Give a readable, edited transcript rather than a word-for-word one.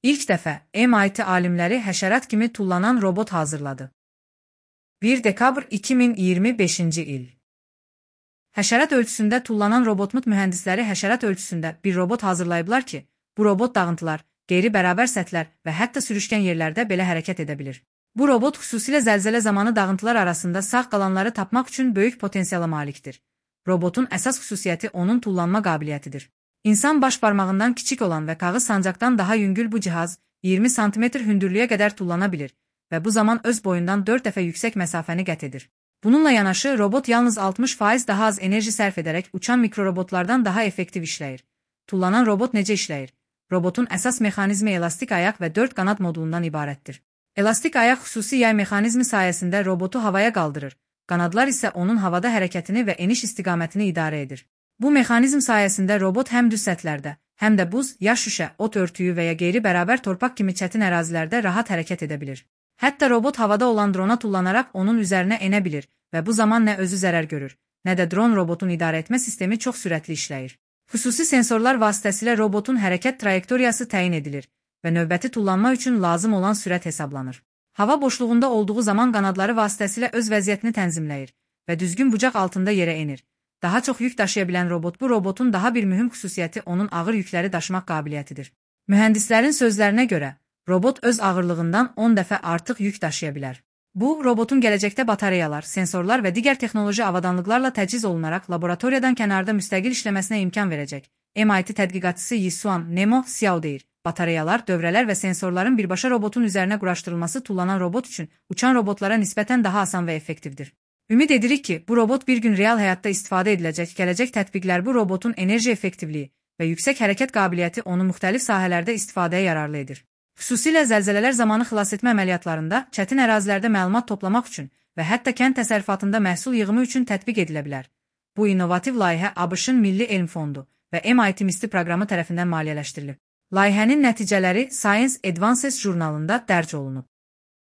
İlk dəfə MIT alimləri həşərat kimi tullanan robot hazırladı. 1 dekabr 2025-ci il. Həşərat ölçüsündə tullanan robotmut mühəndisləri həşərat ölçüsündə bir robot hazırlayıblar ki, bu robot dağıntılar, qeyri-bərabər səthlər və hətta sürüşkən yerlərdə belə hərəkət edə bilir. Bu robot xüsusilə zəlzələ zamanı dağıntılar arasında sağ qalanları tapmaq üçün böyük potensiala malikdir. Robotun əsas xüsusiyyəti onun tullanma qabiliyyətidir. İnsan baş barmağından kiçik olan və kağız sancaqdan daha yüngül bu cihaz 20 sm hündürlüyə qədər tullana bilir və bu zaman öz boyundan 4 dəfə yüksək məsafəni qət edir. Bununla yanaşı, robot yalnız 60% daha az enerji sərf edərək uçan mikrorobotlardan daha effektiv işləyir. Tullanan robot necə işləyir? Robotun əsas mexanizmi elastik ayaq və 4 qanad modulundan ibarətdir. Elastik ayaq xüsusi yay mexanizmi sayəsində robotu havaya qaldırır. Qanadlar isə onun havada hərəkətini və eniş istiqamətini idarə edir. Bu mexanizm sayəsində robot həm düz səthlərdə, həm də buz, yaş şüşə, ot örtüyü və ya qeyri-bərabər torpaq kimi çətin ərazilərdə rahat hərəkət edə bilir. Hətta robot havada olan drona tullanaraq onun üzərinə enə bilir və bu zaman nə özü zərər görür, nə də dron robotun idarə etmə sistemi çox sürətli işləyir. Xüsusi sensorlar vasitəsilə robotun hərəkət trayektoriyası təyin edilir və növbəti tullanma üçün lazım olan sürət hesablanır. Hava boşluğunda olduğu zaman qanadları vasitəsilə öz vəziyyətini tənzimləyir və düzgün bucaq altında yerə enir. Daha çox yük daşıya bilən robot bu robotun daha bir mühüm xüsusiyyəti onun ağır yükləri daşımaq qabiliyyətidir. Mühəndislərin sözlərinə görə, robot öz ağırlığından 10 dəfə artıq yük daşıya bilər. Bu, robotun gələcəkdə batareyalar, sensorlar və digər texnoloji avadanlıqlarla təchiz olunaraq laboratoriyadan kənarda müstəqil işləməsinə imkan verəcək. MIT tədqiqatçısı Yisuan Nemo Xiao deyir. Batareyalar, dövrələr və sensorların birbaşa robotun üzərinə quraşdırılması tullanan robot üçün uçan robotlara nisbətən daha asan və effektivdir. Ümid edirik ki, bu robot bir gün real həyatda istifadə ediləcək. Gələcək tətbiqlər bu robotun enerji effektivliyi və yüksək hərəkət qabiliyyəti onu müxtəlif sahələrdə istifadəyə yararlı edir. Xüsusilə zəlzələlər zamanı xilasetmə əməliyyatlarında, çətin ərazilərdə məlumat toplamaq üçün və hətta kənd təsərrüfatında məhsul yığımı üçün tətbiq edilə bilər. Bu innovativ layihə ABŞ-ın Milli Elm Fondu və MIT MISTI proqramı tərəfindən maliyyələşdirilib. Layihənin nəticələri Science Advances jurnalında dərc olunub.